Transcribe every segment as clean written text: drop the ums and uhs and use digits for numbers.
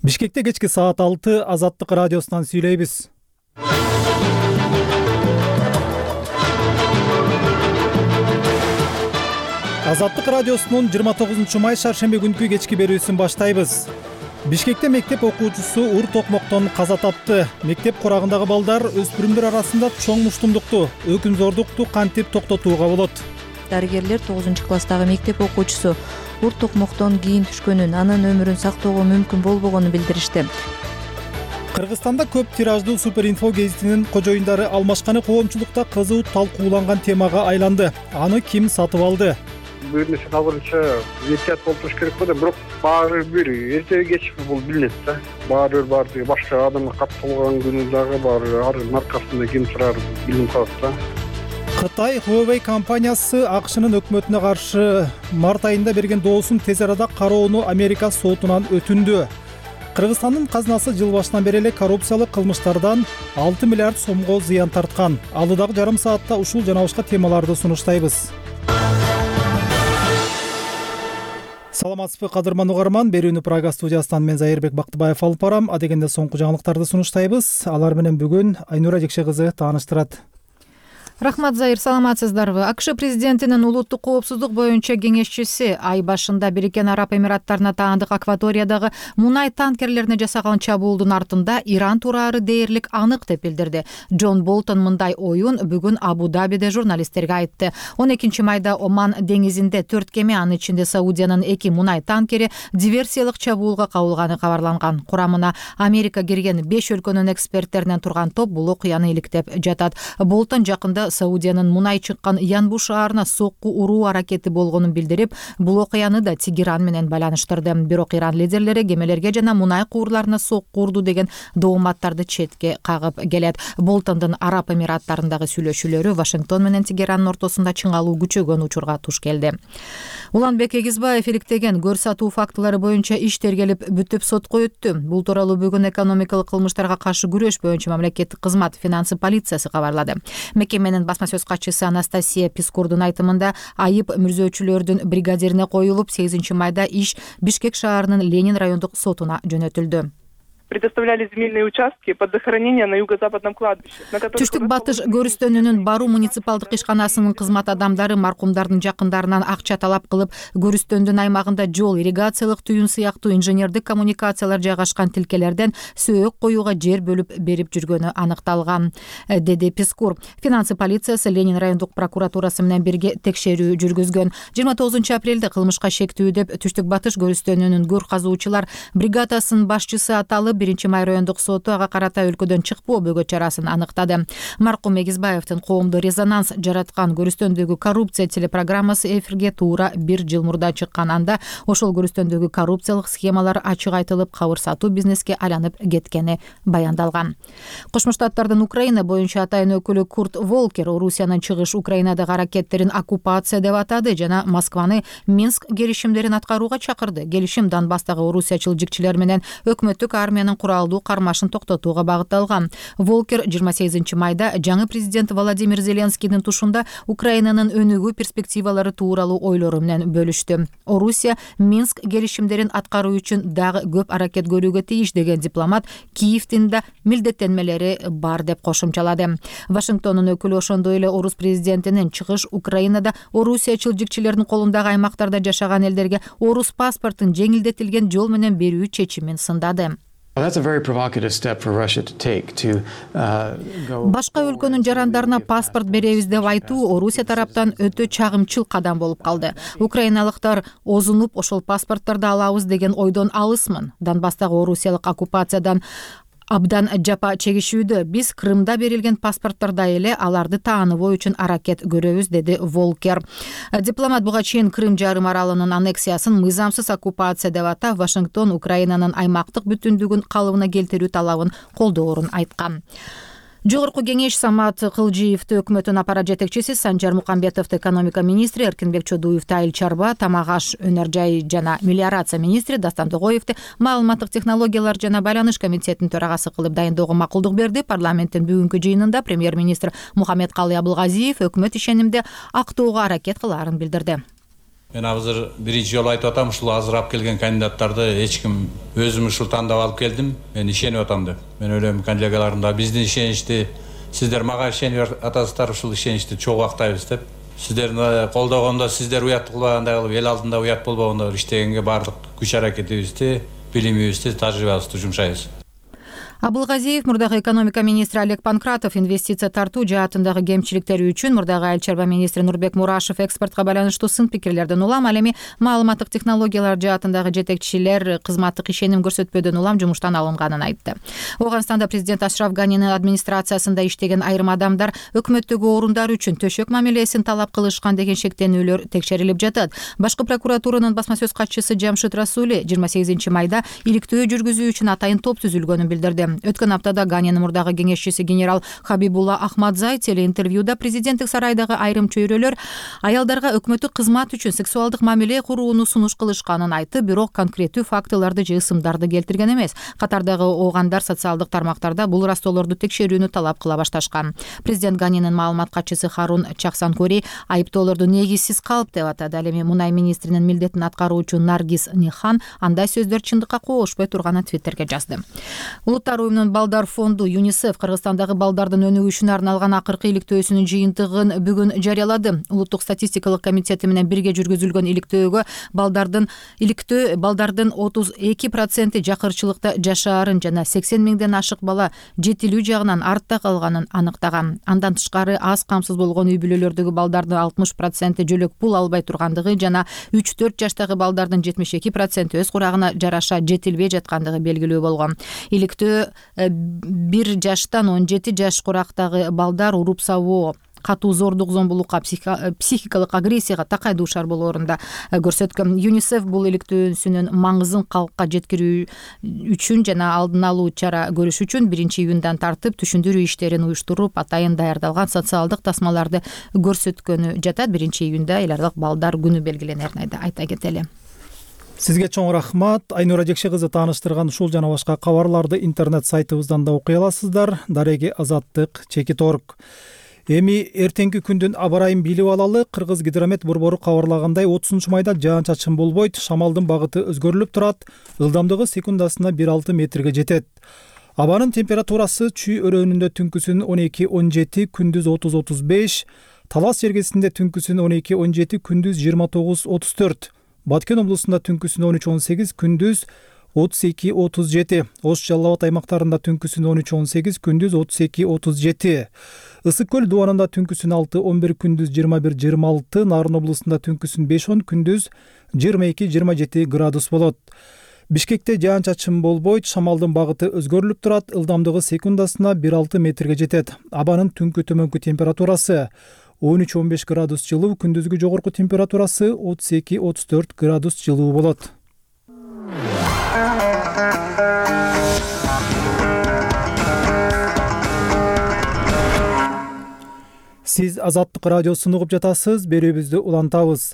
Бишкекте кечки саат 6 Азаттык радиосунан сүйлөйбүз. Азаттык радиосунун 29 май шаршемби күнкү кечки берүүсүн баштайбыз. Бишкекте мектеп окуучусу ур токмоктон каза тапты. Мектеп курагындагы балдар өспүрүмдөр арасында чоң муштумдукту, өкүмзордукту кантип токтотууга болот? Дарыгерлер 9-класстагы мектеп окуучусу ур токмоктон кийин түшкөнүн, анын өмүрүн сактоого мүмкүн болбогонун билдиришти. Кыргызстанда көп тираждуу Суперинфо гезитинин кожоюндары алмашканы коомчулукта кызуу талкууланган темага айланды. Аны ким сатып алды? Бир нерсе кабарынча эhtiyat болуп туруш керек да, бирок баары бир эртеби кеч бул билинет да. Баары башка адамга катталган күнү дагы баары маркасында ким турары билинип калат да. Кытай Huawei компаниясы АКШнын өкмөтүнө каршы март айында берген доосун тез арада кароону Америка сотунан өтүндү. Кыргызстандын казынасы жыл башынан бери эле коррупциялык кылмыштардан 6 миллиард сомго зыян тарткан. Алдыдагы жарым саатта ушул жана башка темаларды сунуштайбыз. Саламатсызбы кадырман угарман, берүүнү Прага студиясынан мен Зайырбек Бактыбаев алып барам. Адегенде соңку жаңылыктарды сунуштайбыз. Алар менен бүгүн Айнура Жекше кызы тааныштырат. Рахмат, Зайыр, саламатсыздарбы? АКШ президентинин улуттук коопсуздук боюнча кеңешчиси ай башында Бириккен Араб Эмираттарына таандык акваториядагы мунай танкерлерине жасаган чабуулдун артында Иран тураары дээрлик анык деп билдирди. Джон Болтон мындай оюн бүгүн Абу-Дабиде журналисттерге айтты. 12 майда Оман деңизинде 4 кеме, анын ичинде Саудиянын 2 мунай танкери диверсиялык чабуулга кабылганы кабарланган. Курамына Америка кирген 5 өлкөнүн эксперттеринен турган топ бул окуяны иликтеп жатат. Болтон жакында Саудиянын мунай чыккан Янбу шаарына сокку уруу аракети болгонун билдирип, бул окуяны да Тегеран менен байланыштырды. Бирок Иран лидерлери кемелерге жана мунай куурларына сокку урду деген дооматтарды четке кагып келет. Болтондун Араб Эмираттарындагы сүйлөшүүлөрү Вашингтон менен Тегеранын ортосунда чыңалуу күчөгөн учурга туш келди. Уланбек Эгизбаев иликтеген көр сатуу фактылары боюнча иш тергелип бүтүп сотко өттү. Бул тууралуу бүгүн экономикалык кылмыштарга каршы күрөш боюнча мамлекеттик кызмат финансы полициясы кабарлады. Мекеменин басма сөз катчысы Анастасия Пискурдун айтымында айып мүрзөөчүлөрдүн бригадирине коюлуп, 8 майда иш Бишкек шаарынын Ленин райондук сотуна жөнөтүлдү. Предоставляли земельные участки под захоронение на юго-западном кладбище. Түштүк батыш көрүстөнүнүн Бару муниципалдык ишканасынын кызмат адамдары маркумдардын жакындарынан акча талап кылып, көрүстөндүн аймагында жол, ирригациялык түйүн сыяктуу инженердик коммуникациялар жайгашкан тилкелерден сөөк коюуга жер бөлүп берип жүргөнү аныкталган, деди Пискур. Финансы полициясы Ленин райондук прокуратурасы менен бирге текшерүү жүргүзгөн. 29 апрелде кылмышка шектүү деп Түштүк батыш көрүстөнүнүн көр казуучулар бригадасынын башчысы аталып 1 май райондук соту ага карата өлкөдөн чыкпоо бөгөт чарасын аныктады. Маркум Эгизбаевдин коомдо резонанс жараткан көрүстөндөгү коррупция телепрограммасы эфирге туура 1 жыл мурда чыккан. Анда ошол көрүстөндөгү коррупциялык схемалар ачык айтылып, кабыр сатуу бизнеске айланып кеткени баяндалган. Кошмо Штаттардын Украина боюнча атайын өкүлү Курт Волкер Орусиянын чыгыш Украинадагы аракеттерин оккупация деп атады жана Москваны Минск келишимдерин аткарууга чакырды. Келишим Донбасстагы орусиячыл жикчилер менен өкмөттүк армиянын куралдуу кармашын токтотууга багытталган. Волкер 28 майда жаңы президент Владимир Зеленскийдин тушунда Украинанын өнүгүү перспективалары тууралуу ойлору менен бөлүштү. Орусия Минск келишимдерин аткаруу үчүн дагы көп аракет көрүүгө тийиш деген дипломат Киевдин да милдеттенмелери бар деп кошумчалады. Вашингтондун өкүлү ошондой эле орус президентинин чыгыш Украинада орусиячыл жикчилердин колундагы аймактарда жашаган элдерге орус паспортун жеңилдетилген жол менен берүү чечимин сындады. Башка өлкөнүн жарандарына паспорт беребиз деп айтуу Орусия тараптан өтө чагымчыл кадам болуп калды. Украиналыктар озунуп ошол паспортторду алабыз деген ойдон алысмын. Донбасстагы орусиялык оккупациядан абдан жапа чегишүүдө. Биз Крымда берилген паспорттордой эле аларды тааныбоо үчүн аракет көрөбүз, деди Волкер. Дипломат буга чейин Крым жарым аралынын аннексиясын мыйзамсыз оккупация деп атап, Вашингтон Украинанын аймактык бүтүндүгүн калыбына келтирүү талабын колдоорун айткан. Жогорку кеңеш Самат Кылжиевди өкмөттүн аппарат жетекчиси, Санжар Мукамбетовду экономика министри, Эркинбек Чодуевди айыл чарба, тамак аш, өнөр жай жана мелиорация министри, Дастан Тогоевди маалыматтык технологиялар жана байланыш комитетинин төрагасы кылып дайындоого макулдук берди. Парламенттин бүгүнкү жыйынында премьер-министр Мухаммедкалый Абылгазиев өкмөт ишенимде актоого аракет кылаарын билдирди. Мен азыр биринчи жолу айтып атам, ушул азыр алып келген кандидаттарды эч ким өзүм ушул тандап алып келдим. Мен ишенип атам деп. Мен ойлойм, коллегаларым да биздин ишеничти, сиздер мага ишенип атасыздар, ушул ишеничти чогуу актайбыз деп. Сиздерди колдогондо сиздер уят кылбагандай кылып, эл алдында уят болбогондой иштегенге баардык күч аракетибизди, билимибизди, тажрыйбабызды жумшайбыз. Абылгазиев мурдагы экономика министри Олег Панкратов инвестиция тартуу жаатындагы кемчиликтери үчүн мурдагы айыл чарба министри Нурбек Мурашев экспортко байланыштуу сын пикирлерден улам, ал эми маалыматтык технологиялар жаатындагы жетекчилер кызматтык ишеним көрсөтпөөдөн улам жумуштан алынганын айтты. Ооганстанда президент Ашраф Ганинин администрациясында иштеген айрым адамдар өкмөттөгү орундар үчүн төшөк мамилесин талап кылышкан деген шектенүүлөр текшерилип жатат. Башкы прокуратуранын басма сөз катчысы Жамшит Расули 28 майда иликтөө жүргүзүү үчүн атайын топ түзүлгөнүн билдирди. Өткөн аптада Ганинин мурдагы кеңешчиси генерал Хабибулла Ахмадзай телеинтервьюда президенттик сарайдагы айрым чөйрөлөр аялдарга өкмөттүк кызмат үчүн сексуалдык мамиле курууну сунуш кылышканын айтып, бирок конкреттүү фактыларды же ысымдарды келтирген эмес. Катардагы оогандар социалдык тармактарда бул растоолорду текшерүүнү талап кыла башташкан. Президент Ганинин маалымат катчысы Харун Чаксанкори айыптоолорду негизсиз калп деп атады. Ал эми мунай министринин милдетин аткаруучу Наргиз Нихан андай сөздөр чындыкка коошпой турганын Твиттерге жазды. Улуттар уюмунун балдар фонду ЮНИСЕФ Кыргызстандагы балдардын өнүгүшүнө арналган акыркы иликтөөсүнүн жыйынтыгын бүгүн жарыялады. Улуттук статистикалык комитети менен бирге жүргүзүлгөн иликтөөгө балдардын 32% жакырчылыкта жашаарын жана 80 миңден ашык бала жетилүү жагынан артта калганын аныктаган. Андан тышкары аз камсыз болгон үй бүлөлөрдөгү балдардын 60% жөлөк пул албай тургандыгы жана 3-4 жаштагы балдардын 72% өз курагына жараша жетилбей жаткандыгы белгилүү болгон. Иликтөө 1 жаштан 17 жаш курактагы балдар уруп сабоо, катуу зордук зомбулукка, психикалык агрессияга такай дуушар болоорунда көрсөткөн. ЮНИСЕФ бул иликтөөсүнүн маңызын калкка жеткирүү үчүн жана алдын алуу чара көрүш үчүн 1-июндан тартып түшүндүрүү иштерин уюштуруп, атайын даярдалган социалдык тасмаларды көрсөткөнү жатат. 1-июнда эл аралык балдар күнү белгиленерин айта кетели. Сизге чоң рахмат. Айнура Жекше кызы тааныштырган ушул жана башка кабарларды интернет сайтыбыздан да окуй аласыздар. Дареги Азаттык.org. Эми эртеңки күндүн аба ырайын билип алалы. Кыргыз гидромет борбору кабарлагандай 30 майда жаан-чачын болбойт, шамалдын багыты өзгөрүлүп турат, ылдамдыгы секундасына 1,6 метрге жетет. Абанын температурасы Чүй өрөөнүндө түнкүсүн 12-17, күндүз 30-35, Талас жергесинде түнкүсүн 12-17, күндүз 29-34, Баткен облусунда түнкүсүн 13-18, күндүз 32-37, Ош Жалал Абад аймактарында түнкүсүн 13-18, күндүз 32-37, Ысык көл дубанында түнкүсүн 6-11, күндүз 21-26, Нарын облусунда түнкүсүн 5-10, күндүз 22-27 градус болот. Бишкекте жаан-чачын болбойт, шамалдын багыты өзгөрүлүп турат, ылдамдыгы секундасына 1,6 метрге жетет. Абанын түнкү төмөнкү температурасы 13-15 градус жылуу, күндүзгү жогорку температурасы 32-34 градус жылуу болот. Сиз Азаттык радиосун угуп жатасыз, берүүбүздү улантабыз.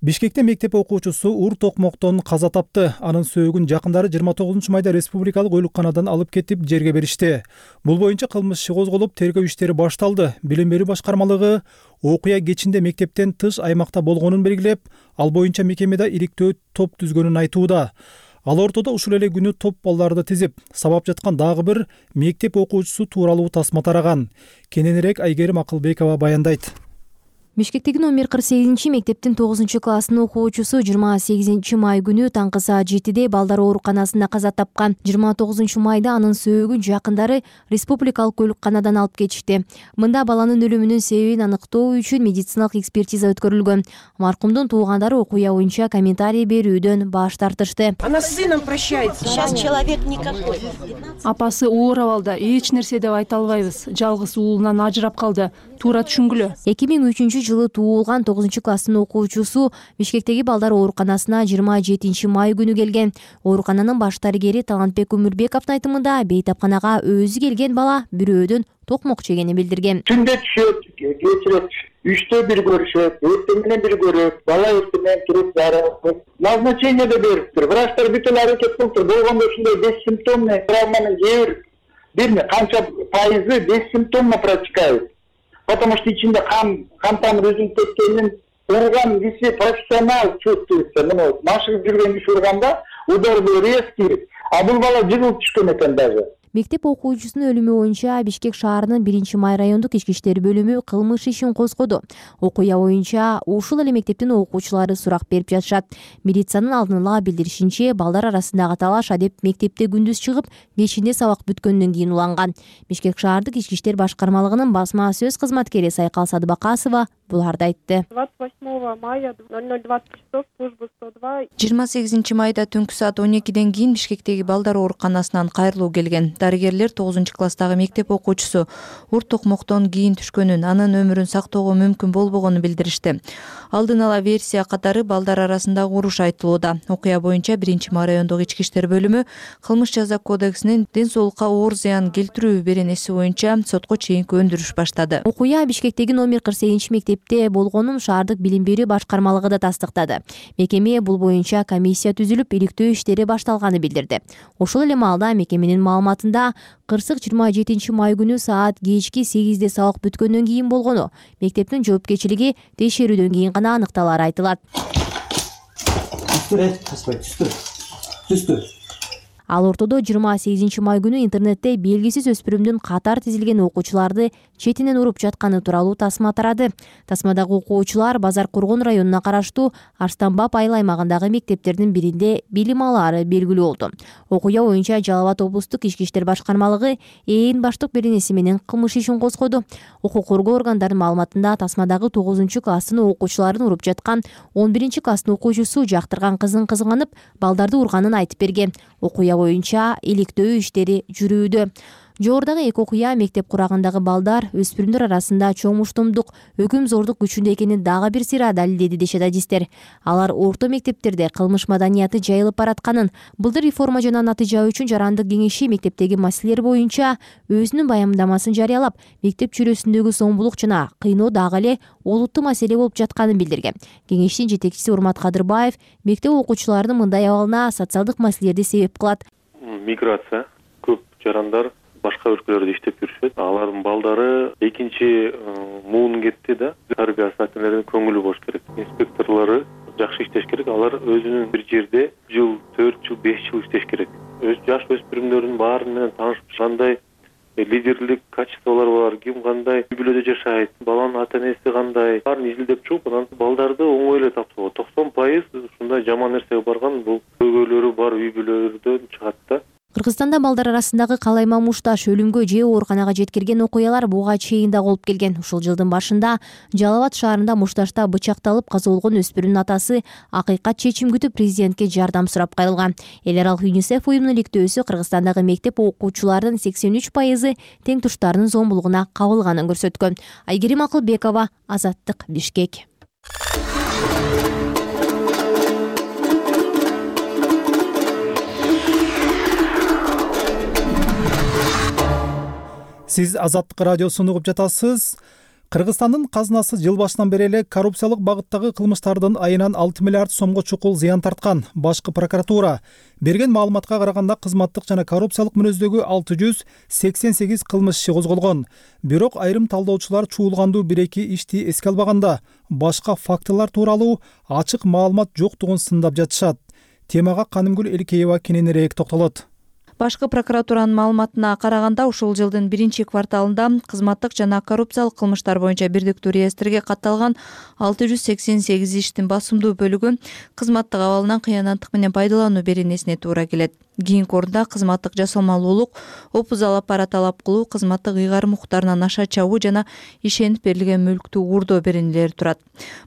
Бишкекте мектеп окуучусу ур токмоктон каза тапты. Анын сөөгүн жакындары 29 майда республикалык ойлуканадан алып кетип жерге беришти. Бул боюнча кылмыш иши козголуп, тергөө иштери башталды. Билим берүү башкармалыгы окуя кечинде мектептен тыш аймакта болгонун белгилеп, ал боюнча мекемеде иликтөө топ түзгөнүн айтууда. Ал ортодо ушул эле күнү топ балдарды тизип, сабап жаткан дагы бир мектеп окуучусу тууралуу тасма тараган. Кененирээк Айгерим Акылбекова баяндайт. Бишкектеги номер 48 мектептин 9-класстын окуучусу 28 май күнү таңкы саат 7-де балдар ооруканасында каза тапкан. 29 майда анын сөөгүн жакындары республикалык ойлуканадан алып кетишти. Мында баланын өлүмүнүн себебин аныктоо үчүн медициналык экспертиза өткөрүлгөн. Маркумдун туугандары окуя боюнча комментарий берүүдөн баш тартышты. Она с сыном прощается. Сейчас человек никакой. Апасы оор абалда, эч нерсе деп айта албайбыз. Жалгыз уулунан ажырап калды. Туура түшүнгүлө. 2003-жылы туулган 9-класстын окуучусу Бишкектеги балдар ооруканасына 27 май күнү келген. Оорукананын баш дарыгери Талантбек Өмүрбековдун айтымында бейтапканага өзү келген бала бирөөдөн токмок жегени билдирген. Түндө түшөт, кечирет, 3-тө бир көрүшөт, эртең менен бир көрөт, бала эртең менен туруп зарылып, назначение да бериптир. Врачтар бүт эле аракет кылыптыр. Болгондо ушундай бессимптомный травманы бир канча пайызы бессимптомно протекает. Потому что ичинде кан тамыр үзүлүп кеткенин урган киши профессионал чувствуется. Мына машыгып жүргөн киши урганда удар резкий, а бул бала жыгылып түшкөн экен даже. Мектеп окуучусунун өлүмү боюнча Бишкек шаарынын 1-май райондук ички иштер бөлүмү кылмыш ишин козгоду. Окуя боюнча ушул эле мектептин окуучулары сурак берип жатышат. Милициянын алдын ала билдиришинче, балдар арасындагы талаш адеп мектепте күндүз чыгып, кечинде сабак бүткөндөн кийин уланган. Бишкек шаардык ички иштер башкармалыгынын басма сөз кызматкери Сайкал Садыбакасова буларды айтты. 28 мая 00:20 часов служба 102. 28 майда түнкү саат 12ден кийин Бишкектеги балдар ооруканасынан кайрылуу келген. Дарыгерлер 9-класстагы мектеп окуучусу урт токмоктон кийин түшкөнүн, анын өмүрүн сактоого мүмкүн болбогонун билдиришти. Алдын ала версия катары балдар арасындагы уруш айтылууда. Окуя боюнча 1-май райондук ички иштер бөлүмү кылмыш жаза кодексинин ден соолукка оор зыян келтирүү беренеси боюнча сотко чейинки өндүрүш баштады. Окуя Бишкектеги номер 48 мектепте болгонун шаардык билим берүү башкармалыгы да тастыктады. Мекеме бул боюнча комиссия түзүлүп, иликтөө иштери башталганын билдирди. Ошол эле маалда мекеменин маалыматында кырсык 27-май күнү саат кечки 8де сабак бүткөндөн кийин болгону, мектептин жоопкерчилиги текшерүүдөн кийин гана аныкталары айтылат. Ал ортодо 28-май күнү интернетте белгисиз өспүрүмдүн катар тизилген окуучуларды четинен уруп жатканы тууралуу тасма тарады. Тасмадагы окуучулар Базар Кургон районуна караштуу Арстанбап айыл аймагындагы мектептердин биринде билим алаары белгилүү болду. Окуя боюнча Жалал Абад облустук ички иштер башкармалыгы ээн баштык беренеси менен кылмыш ишин козгоду. Укук коргоо органдарынын маалыматында тасмадагы 9-класстын окуучуларын уруп жаткан 11-класстын окуучусу жактырган кызын кызганып, балдарды урганын айтып берген. Окуя боюнча иликтөө иштери жүрүүдө. Жогорудагы эки окуя мектеп курагындагы балдар, өспүрүмдөр арасында чоң муштумдук, өкүм зордук күчүндө экенин дагы бир сыйра далилдеди дешет адистер. Алар орто мектептерде кылмыш маданияты жайылып баратканын, былтыр реформа жана натыйжа үчүн жарандык кеңеши мектептеги маселелер боюнча өзүнүн баяндамасын жарыялап, мектеп чүрөсүндөгү зомбулук жана кыйноо дагы эле олуттуу маселе болуп жатканын билдирген. Кеңештин жетекчиси Урмат Кадырбаев мектеп окуучуларынын мындай абалына социалдык маселелерди себеп кылат. Миграция, көп жарандар башка өлкөлөрдө иштеп жүрүшөт. Алардын балдары экинчи муун кетти да. Тарбия сааттарынын көңүлү болуш керек. Инспекторлору жакшы иштеш керек. Алар өзүнүн бир жерде жыл, 4 жыл, 5 жыл иштеш керек. Жаш өспүрүмдөрдүн баары менен таанышып, кандай лидерлик качестволор бар, ким кандай үй бүлөдө жашайт, баланын ата-энеси кандай, баарын изилдеп чыгып, анан балдарды оңой эле тапсыруу. 90% ушундай жаман нерсеге барган, бул көйгөйлөрү бар үй бүлөлөрдөн чыгат да. Кыргызстанда балдар арасындагы калайма мушташ, өлүмгө же ооруканага жеткирген окуялар буга чейин да болуп келген. Ушул жылдын башында Жалал Абад шаарында мушташта бычакталып каза болгон өспүрүмдүн атасы акыйкат чечим күтүп президентке жардам сурап кайрылган. Эл аралык ЮНИСЕФ уюмунун иликтөөсү Кыргызстандагы мектеп окуучуларынын 83% тең туштарынын зомбулугуна кабылганын көрсөткөн. Айгерим Акылбекова, Азаттык, Бишкек. Сиз Азаттык радиосун угуп жатасыз. Кыргызстандын казынасы жыл башынан бери эле коррупциялык багыттагы кылмыштардын айынан 6 миллиард сомго чукул зыян тарткан. Башкы прокуратура берген маалыматка караганда кызматтык жана коррупциялык мүнөздөгү 688 кылмыш иши козголгон. Бирок айрым талдоочулар чуулгандуу 1-2 ишти эске албаганда башка фактылар тууралуу ачык маалымат жоктугун сындап жатышат. Темага Канымгүл Элкеева кененирээк токтолот. Башкы прокуратуранын маалыматына караганда ушул жылдын 1-кварталында кызматтык жана коррупциялык кылмыштар боюнча бирдиктүү реестрге катталган 688 иштин басымдуу бөлүгү кызматтык абалынан кыянаттык менен пайдалануу беренесине туура келет. Кийинки орунда кызматтык жасалмалуулук, опузал аппарат талап кылуу, кызматтык ыйгарым укуктарына наша чабуу жана ишенип берилген мүлктү уурдоо беренелери турат.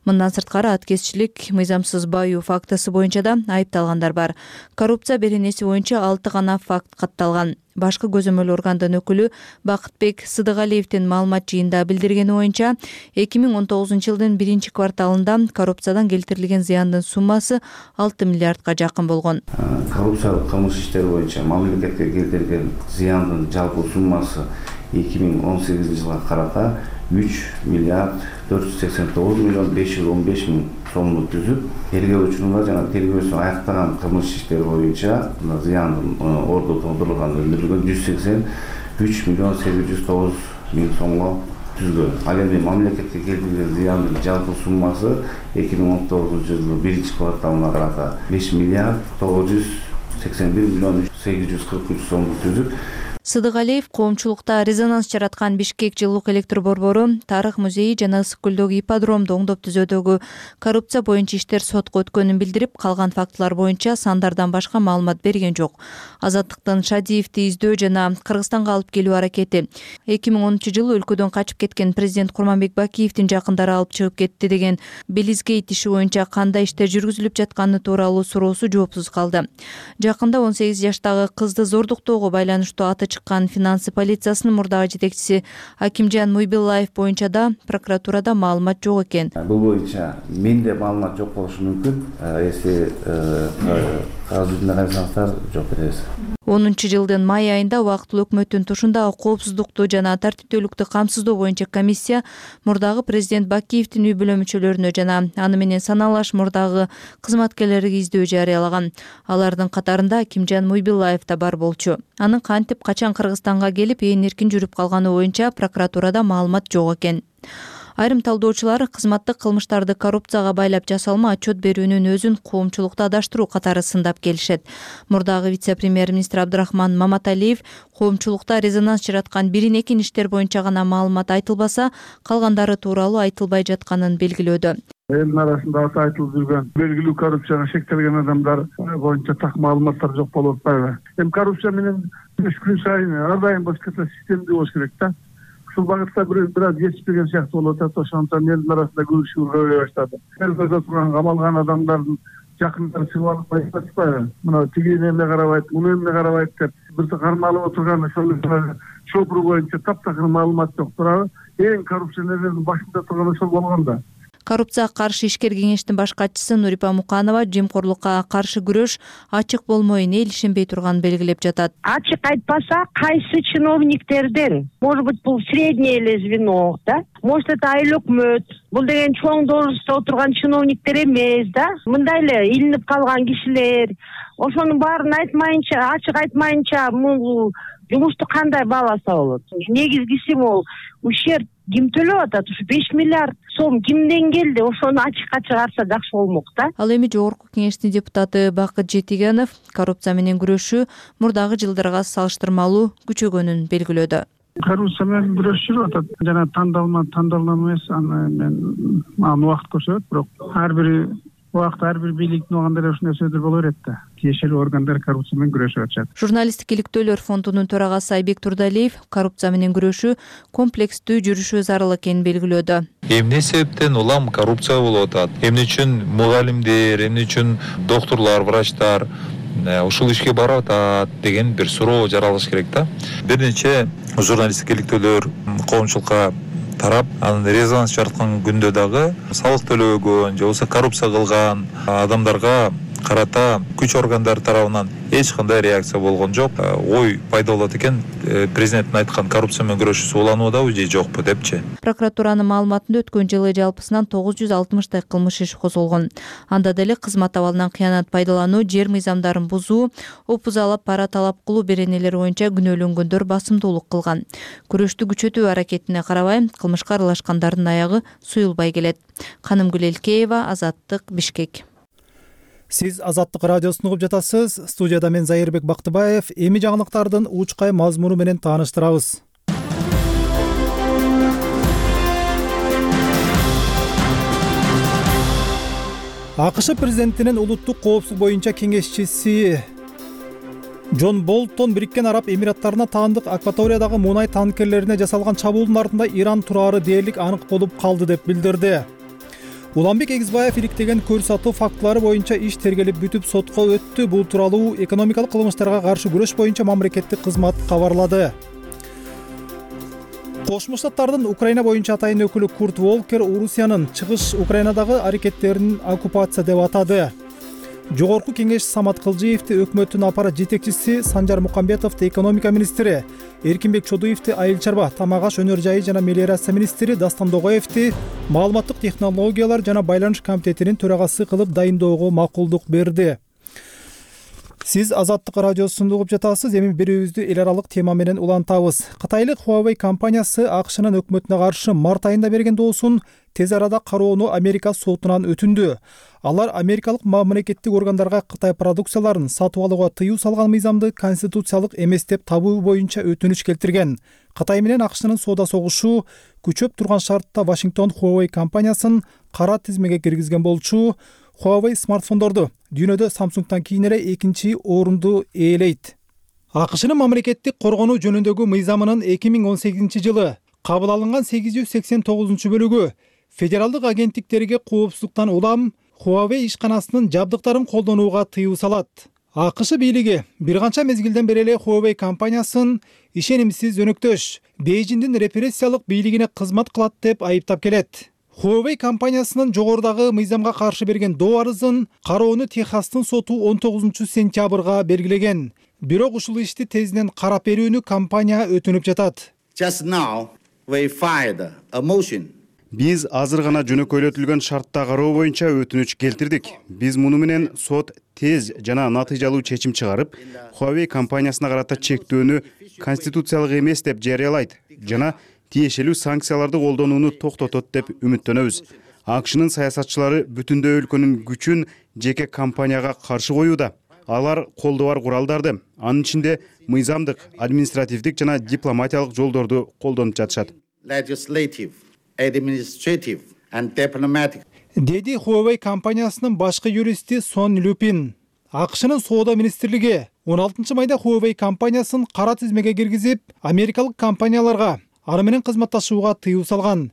Мындан сырткары аткезчилик, мыйзамсыз баюу фактысы боюнча да айыпталгандар бар. Коррупция беренеси боюнча 6 гана факт катталган. Башкы көзөмөл органдын өкүлү Бакытбек Сыдыгалиевдин маалымат жыйында билдиргени боюнча 2019 жылдын 1-кварталында коррупциядан келтирилген зыяндын суммасы 6 миллиардка жакын болгон. Коррупциялык кылмыш иштери боюнча мамлекетке келтирилген зыяндын жалпы суммасы 2018 жылга карата 3 миллиард 489 миллион 515 миң сомду түзүп, тергөөчүнүн жана тергөөсүн аяктаган кылмыш иштери боюнча зыяндын орду толтурулган өндүрүлгөн 183 миллион 809 миң сомго түзгөн. Ал эми мамлекетке келтирген зыяндын жалпы суммасы 2019-жылы 1-кварталына карата 5 миллиард 981 миллион 843 сомду түзүп. Сыдыгалиев коомчулукта резонанс жараткан Бишкек жылуулук электр борбору, Тарых музейи жана Ысык көлдөгү ипподромду оңдоп түзүүдөгү коррупция боюнча иштер сотко өткөнүн билдирип, калган фактылар боюнча сандардан башка маалымат берген жок. Азаттыктын Шадиевди издөө жана Кыргызстанга алып келүү аракети. 2010-жылы өлкөдөн качып кеткен президент Курманбек Бакиевдин жакындары алып чыгып кетти деген Белизгейт иши боюнча кандай иштер жүргүзүлүп жатканы тууралуу суроосу жоопсуз калды. Жакында 18 жаштагы кызды зордуктоого байланыштуу аты чыккан финансы полициясынын мурдагы жетекчиси Акимжан Муйбилаев боюнча да прокуратурада маалымат жок экен. Бул боюнча менде маалымат жок болушу мүмкүн. Если кагаз жүзүндө карасаңыздар жок беребиз. 10-жылдын май айында убактылуу өкмөттүн тушундагы коопсуздукту жана тартиптүүлүктү камсыздоо боюнча комиссия мурдагы президент Бакиевдин үй бүлө мүчөлөрүнө жана аны менен саналаш мурдагы кызматкерлерге издөө жарыялаган. Алардын катарында Акимжан Муйбилаев да бар болчу. Анын кантип качан Кыргызстанга келип ээн эркин жүрүп калганы боюнча прокуратурада маалымат жок экен. Айрым талдоочулар кызматтык кылмыштарды коррупцияга байлап жасалма отчет берүүнүн өзүн коомчулукту адаштыруу катары сындап келишет. Мурдагы вице-премьер-министр Абдрахман Маматалиев коомчулукта резонанс жараткан бирин-экин иштер боюнча гана маалымат айтылбаса, калгандары тууралуу айтылбай жатканын белгилөөдө. Элдин арасында аты айтылып жүргөн белгилүү коррупцияга шектелген адамдар боюнча так маалыматтар жок болуп атпайбы? Эми коррупция менен күн сайын ар дайым башкача системдүү болуш керек да. Ушул багытта бир аз жетишпеген сыяктуу болуп атат. Ошондон элдин арасында күрөшүү көбөйө баштады. Элбезде турган камалган адамдардын жакындары чыгып алып айтпайбы? Мына тиги эмне карабайт, муну эмне карабайт деп бир кармалып отурган ошол чопур боюнча таптакыр маалымат жок турабы? Эң коррупционерлердин башында турган ошол болгон да. Коррупцияга каршы ишкер кеңештин баш катчысы Нурипа Муканова жемкорлукка каршы күрөш ачык болмойюн, эл ишенбей турганын белгилеп жатат. Ачык айтпаса, кайсы чиновниктерден? Может быть, бул среднее эле звено, да? Может, это айыл өкмөт. Бул деген чоң должностто отурган чиновниктер эмес, да? Мындай эле илинип калган кишилер. Ошонун баарын айтмайынча, ачык айтмайынча, бул жумушту кандай бааласа болот? Негизгиси могул ущерб ким төлөп атат? Ушу 5 миллиард сом кимден келди? Ошону ачыкка чыгарса жакшы болмок да. Ал эми жогорку кеңештин депутаты Бакыт Жетигенов коррупция менен күрөшүү мурдагы жылдарга салыштырмалуу күчөгөнүн белгилөөдө. Коррупция менен күрөш жүрүп атат. Жана тандалма эмес, аны убакыт көрсөтөт, бирок ар бир убакыт ар бир бийликтин оогандары ушундай сөздөр боло берет да. Тиешелүү органдар коррупция менен күрөшүп атышат. Журналисттик иликтөөлөр фондунун төрагасы Айбек Турдалиев коррупция менен күрөшүү комплекстүү жүрүшү зарыл экенин белгилөөдө. Эмне себептен улам коррупция болуп атат? Эмне үчүн мугалимдер, эмне үчүн доктурлар, врачтар ушул ишке барып атат деген бир суроо жаралыш керек да. Бир нече журналисттик иликтөөлөр коомчулукка тарап, анын резонанс жараткан күндө дагы салык төлөбөгөн же болбосо коррупция кылган адамдарга карата күч органдары тарабынан эч кандай реакция болгон жок. Ой пайда болот экен, президенттин айткан коррупция менен күрөшүү улануудабы же жокпу депчи. Прокуратуранын маалыматында өткөн жылы жалпысынан 960 кылмыш иши козголгон. Анда деле кызмат абалынан кыянат пайдалануу, жер мыйзамдарын бузуу, опузалап пара талап кылуу беренелери боюнча күнөөлөнгөндөр басымдуулук кылган. Күрөштү күчөтүү аракетине карабай, кылмышка аралашкандардын аягы суюлбай келет. Канымгүл Элкеева, Азаттык, Бишкек. Сиз Азаттык радиосун угуп жатасыз. Студияда мен Зайырбек Бактыбаев. Эми жаңылыктардын учкай мазмуну менен тааныштырабыз. АКШ президентинин улуттук коопсуздук боюнча кеңешчиси Джон Болтон Бириккен Араб Эмираттарына таандык акваториядагы мунай танкерлерине жасалган чабуулдун артында Иран турары дээрлик анык болуп калды деп билдирди. Уланбек Эгизбаев иликтеген көрсөтүү фактылары боюнча иш тергелип бүтүп сотко өттү. Бул тууралуу экономикалык кылмыштарга каршы күрөш боюнча мамлекеттик кызмат кабарлады. Кошмо Штаттардын Украина боюнча атайын өкүлү Курт Волкер Орусиянын чыгыш Украинадагы аракеттерин оккупация деп атады. Жогорку кеңеш Самат Кылжиевди, өкмөттүн аппарат жетекчиси Санжар Мукамбетовду, экономика министри Эркинбек Чодуевди, айыл чарба, тамак аш, өнөр жайы жана мелиорация министри Дастан Догоевди маалыматтык технологиялар жана байланыш комитетинин төрагасы кылып дайындоого макулдук берди. Сиз Азаттык радиосун угуп жатасыз. Эми берүүбүздү эл аралык тема менен улантабыз. Кытайлык Huawei компаниясы АКШнын өкмөтүнө каршы март айында берген доосун тез арада кароону Америка сотунан өтүндү. Алар америкалык мамлекеттик органдарга Кытай продукцияларын сатып алууга тыюу салган мыйзамды конституциялык эмес деп табуу боюнча өтүнүч келтирген. Кытай менен АКШнын соода согушу күчөп турган шартта Вашингтон Huawei компаниясын кара тизмеге киргизген болчу. Huawei смартфондорду дүйнөдө Samsung'тан кийин эле экинчи орунду ээлейт. АКШнын мамлекеттик коргонуу жөнүндөгү мыйзамынын 2018-жылы кабыл алынган 889-бөлүгү федералдык агенттиктерге коопсуздуктан улам Huawei ишканасынын жабдыктарын колдонууга тыюу салат. АКШ бийлиги бир канча мезгилден бери эле Huawei компаниясын ишенимсиз өнөктөш, Бейжиңдин репрессиялык бийлигине кызмат кылат деп айыптап келет. Huawei компаниясынын жогорудагы мыйзамга каршы берген доо арызын кароону Техастын соту 19-сентябрга белгилеген. Бирок ушул ишти тезинен карап берүүнү компания өтүнүп жатат. Биз азыр гана жөнөкөйлөтүлгөн шартта кароо боюнча өтүнүч келтирдик. Биз муну менен сот тез жана натыйжалуу чечим чыгарып, Huawei компаниясына карата чектөөнү конституциялык эмес деп жарыялайт жана тиешелүү санкцияларды колдонууну токтотот деп үмүттөнөбүз. АКШнын саясатчылары бүтүндөй өлкөнүн күчүн жеке компанияга каршы коюуда. Алар колдо бар куралдарды, анын ичинде мыйзамдык, административдик жана дипломатиялык жолдорду колдонуп жатышат. Деди Huawei компаниясынын башкы юристи Сон Люпин. АКШнын соода министрлиги 16-майда Huawei компаниясын кара тизмеге киргизип, америкалык компанияларга аны менен кызматташууга тыюу салган.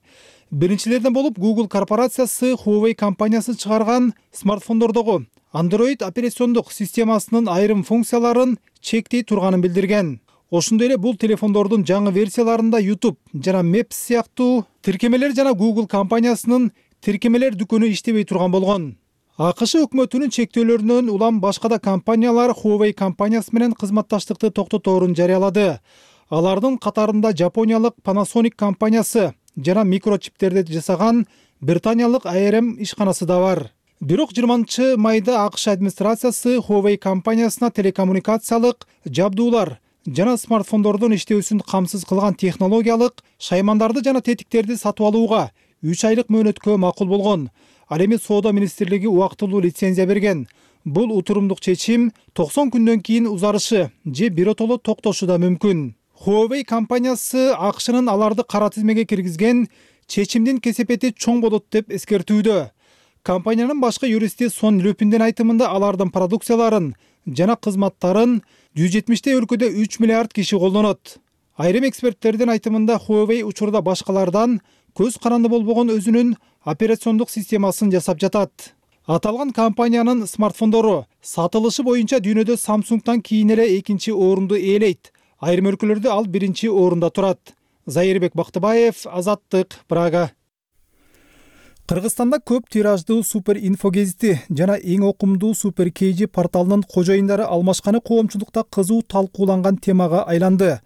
Биринчилерден болуп Google корпорациясы Huawei компаниясы чыгарган смартфондордогу Android операциондук системасынын айрым функцияларын чектей турганын билдирген. Ошондой эле бул телефондордун жаңы версияларында YouTube жана Maps сыяктуу тиркемелер жана Google компаниясынын тиркемелер дүкөнү иштебей турган болгон. АКШ өкмөтүнүн чектөөлөрүнөн улам башка да компаниялар Huawei компаниясы менен кызматташтыкты токтоторун жарыялады. Алардын катарында Жапониялык Panasonic компаниясы жана микрочиптерди жасаган британиялык ARM ишканасы да бар. Бирок 20-майда АКШ администрациясы Huawei компаниясына телекоммуникациялык жабдуулар жана смартфондордун иштөөсүн камсыз кылган технологиялык шаймандарды жана тетиктерди сатып алууга 3 айлык мөөнөткө макул болгон. Ал эми соода министрлиги убактылуу лицензия берген. Бул утурумдук чечим 90 күндөн кийин узарышы же биротоло токтошу да мүмкүн. Huawei компаниясы АКШнын аларды кара тизмеге киргизген чечимдин кесепети чоң болот деп эскертүүдө. Компаниянын башкы юристи Сон Люпиндин айтымында алардын продукцияларын жана кызматтарын 170 өлкөдө 3 миллиард киши колдонот. Айрым эксперттердин айтымында Huawei учурда башкалардан көз каранды болбогон өзүнүн операциондук системасын жасап жатат. Аталган компаниянын смартфондору сатылышы боюнча дүйнөдө Samsung'тан кийин эле экинчи орунду ээлейт. Айрым өлкөлөрдө ал биринчи орунда турат. Зайырбек Бактыбаев, Азаттык, Прага. Кыргызстанда көп тираждуу Супер Инфо гезити жана эң окумдуу Супер KG порталынын кожоюндары алмашканы коомчулукта кызуу талкууланган темага айланды.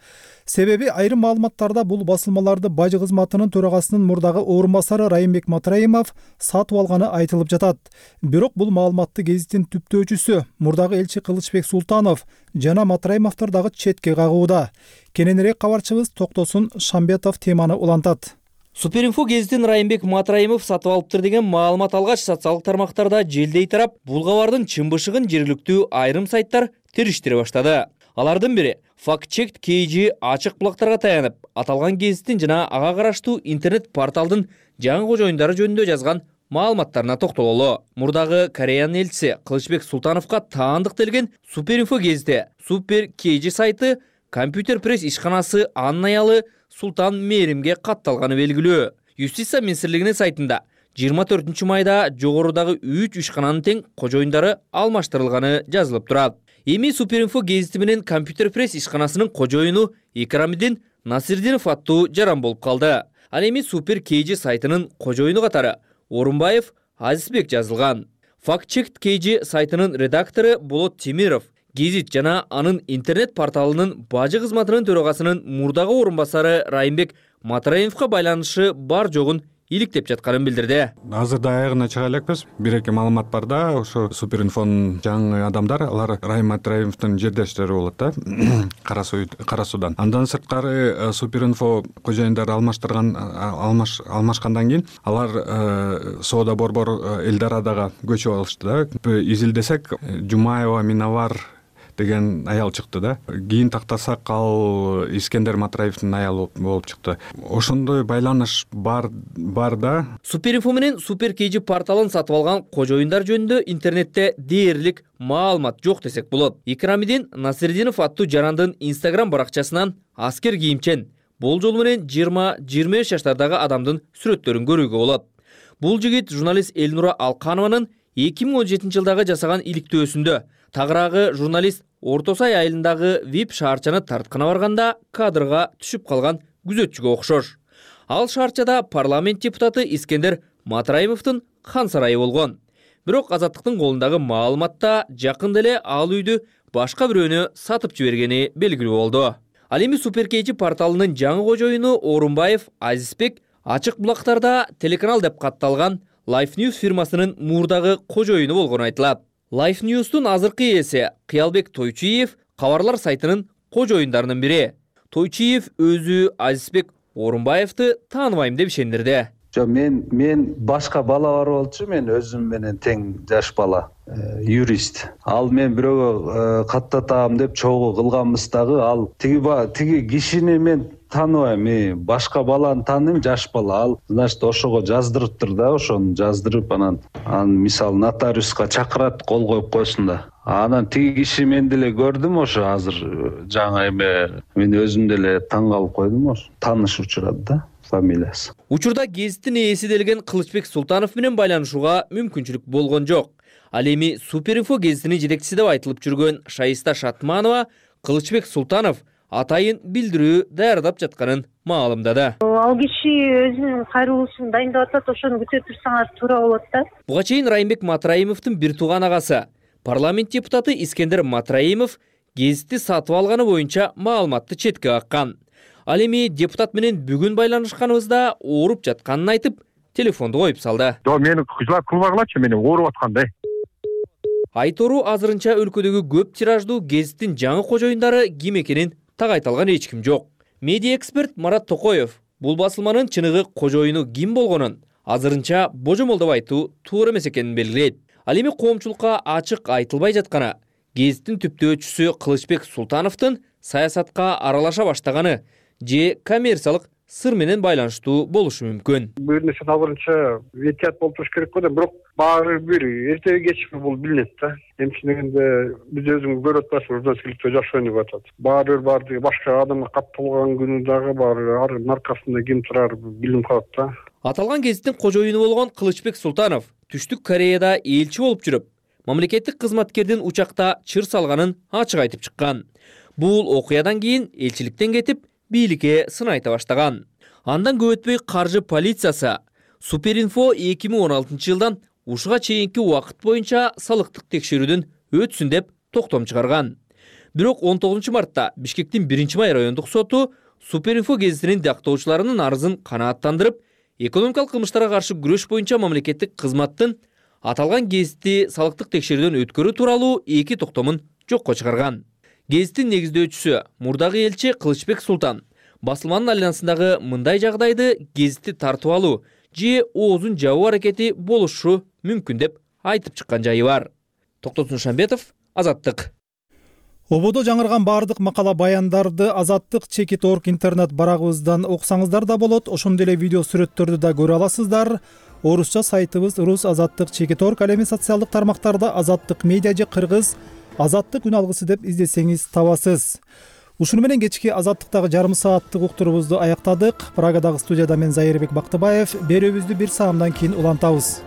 Себеби айрым маалыматтарда бул басылмаларды бажы кызматынын төрагасынын мурдагы орун басары Райымбек Матраимов сатып алганы айтылып жатат. Бирок бул маалыматты гезиттин түптөөчүсү мурдагы элчи Кылычбек Султанов жана Матраимовдор дагы четке кагууда. Кененирээк кабарчыбыз Токтосун Шамбетов теманы улантат. Суперинфо гезитин Райымбек Матраимов сатып алыптыр деген маалымат алгач социалдык тармактарда желдей тарап, бул кабардын чын-бышыгын жергиликтүү айрым сайттар териштире баштады. Алардын бири Fact-Check KG ачык булактарга таянып, аталган гезиттин жана ага караштуу интернет порталдын жаңы кожоюндары жөнүндө жазган маалыматтарына токтололу. Мурдагы Кореянын элчиси Кылычбек Султановго таандык делген Суперинфо гезити Супер KG сайты компьютер пресс ишканасы анын аялы Султан Мээримге катталганы белгилүү. Юстиция министрлигинин сайтында 24-майда жогорудагы 3 ишкананын тең кожоюндары алмаштырылганы жазылып турат. Эми Суперинфо гезити менен компьютер пресс ишканасынын кожоюну Икрамидин Насирдинов аттуу жаран болуп калды. Ал эми Супер KG сайтынын кожоюну катары Орунбаев Азизбек жазылган. Fact-Check KG сайтынын редактору Болот Темиров гезит жана анын интернет порталынын бажы кызматынын төрагасынын мурдагы орун басары Райымбек Матраимовго байланышы бар жогун иликтеп жатканын билдирди. Азырда аягына чыга элекпиз. Бир-эки маалымат бар да, ошо Суперинфонун жаңы адамдар, алар Райым Матраимовдун жердештери болот да, Кара Суудан. Андан сырткары Суперинфо кожоюндары алмашкандан кийин алар Соода борбор Элдарадага көчүп алышты да. Изилдесек Жумаева Миновар деген аял чыкты да. Кийин тактасак ал Искендер Матраевдин аялы болуп чыкты. Ошондой байланыш бар да. Суперинфо менен Супер KG порталын сатып алган кожоюндар жөнүндө интернетте дээрлик маалымат жок десек болот. Икрамидин Насирдинов аттуу жарандын Instagram баракчасынан аскер кийимчен бул жолу менен 20-25 жаштардагы адамдын сүрөттөрүн көрүүгө болот. Бул жигит журналист Элнура Алканованын 2017 жылдагы жасаган иликтөөсүндө тагыраагы журналист Орто Сай айылындагы VIP шаарчаны тарткана барганда кадрга түшүп калган күзөтчүгө окшош. Ал шаарчада парламент депутаты Искендер Матраимовдун хан сарайы болгон. Бирок Азаттыктын колундагы маалыматта жакында эле ал үйдү башка бирөөнө сатып жибергени белгилүү болду. Ал эми Супер KG порталынын жаңы кожоюну Орунбаев Азизбек ачык булактарда телеканал деп катталган Life News фирмасынын мурдагы кожоюну болгону айтылат. Life News'тун азыркы ээси Кыялбек Тойчиев кабарлар сайтынын кожоюндарынын бири. Тойчиев өзү Азизбек Орунбаевди тааныбайм деп ишендирди. Мен башка бала бар болчу, мен өзүм менен тең жаш бала, юрист. Ал мен бирөөгө каттатам деп чогуу кылганбыз дагы, ал тиги кишини мен тааныбайм, башка баланы тааныйм, жаш бала. Ал, значит, ошого жаздырыптыр да, ошону жаздырып, анан мисалы нотариуска чакырат, кол коюп койсун да. Анан тиги киши мен деле көрдүм, ошо азыр жаңы эме мен өзүм деле таң калып койдум, ошо тааныш учурады да. Фамилиясы. Учурда гезиттин ээси делген Кылычбек Султанов менен байланышууга мүмкүнчүлүк болгон жок. Ал эми Суперинфо гезитинин жетекчиси деп айтылып жүргөн Шайиста Шатманова Кылычбек Султанов атайын билдирүү даярдап жатканын маалымдады. Ал киши өзүнүн кайрылуусун дайындап атат, ошону күтө турсаңар туура болот да. Буга чейин Райымбек Матраимовдун бир тууган агасы, парламент депутаты Искендер Матраимов гезитти сатып алганы боюнча маалыматты четке каккан. Ал эми депутат менен бүгүн байланышканыбызда ооруп жатканын айтып, телефонду коюп салды. Мени жылап кылбагылачы, мени ооруп аткандай. Айтору азырынча өлкөдөгү көп тираждуу гезиттин жаңы кожоюндары ким экенин так айта алган эч ким жок. Медиа эксперт Марат Токоев бул басылманын чыныгы кожоюну ким болгонун азырынча божомол деп айтуу туура эмес экенин белгилейт. Ал эми коомчулукка ачык айтылбай жатканы гезиттин түптөөчүсү Кылычбек Султановдун саясатка аралаша баштаганы же коммерциялык сыр менен байланыштуу болушу мүмкүн. Бир нерсе азырынча ветият болуп туруш керек го да, бирок баары бир эртеби кечпи бул билинет да. Эмче дегенде биз өзүңүз көрүп атпайсызбы, журналисттикте жакшы ойноп атат. Баары бир башка адамга катталган күнү дагы бар, анын аркасында ким турары билинип калат да. Аталган гезиттин кожоюну болгон Кылычбек Султанов Түштүк Кореяда элчи болуп жүрүп, мамлекеттик кызматкердин учакта чыр салганын ачык айтып чыккан. Бул окуядан кийин элчиликтен кетип, бийликке сын айта баштаган. Андан көп өтпөй каржы полициясы Суперинфо 2016 жылдан ушуга чейинки убакыт боюнча салыктык текшерүүдөн өтсүн деп токтом чыгарган. Бирок 19 мартта Бишкектин 1-май райондук соту Суперинфо гезитинин дактоочуларынын арызын канааттандырып, экономикалык кылмыштарга каршы күрөш боюнча мамлекеттик кызматтын аталган гезитти салыктык текшерүүдөн өткөрүү тууралуу 2 токтомун жокко чыгарган. Гезиттин негиздөөчүсү мурдагы элчи Кылычбек Султан басылманын айланасындагы мындай жагдайды гезитти тартып алуу же оозун жабуу аракети болушу мүмкүн деп айтып чыккан жайы бар. Токтосун Шамбетов, Азаттык. Ободо жаңырган баардык макала баяндарды Азаттык Чекит.org интернет барагыбыздан окусаңыздар да болот. Ошондой эле видео сүрөттөрдү да көрө аласыздар. Орусча сайтыбыз Рус Азаттык Чекит.org, ал эми социалдык тармактарда Азаттык медиа же кыргыз Азаттык үн алгысы деп издесеңиз табасыз. Ушуну менен кечки Азаттыктагы жарым сааттык уктуруубузду аяктадык. Прагадагы студияда мен Зайырбек Бактыбаев. Берүүбүздү 1 саамдан кийин улантабыз.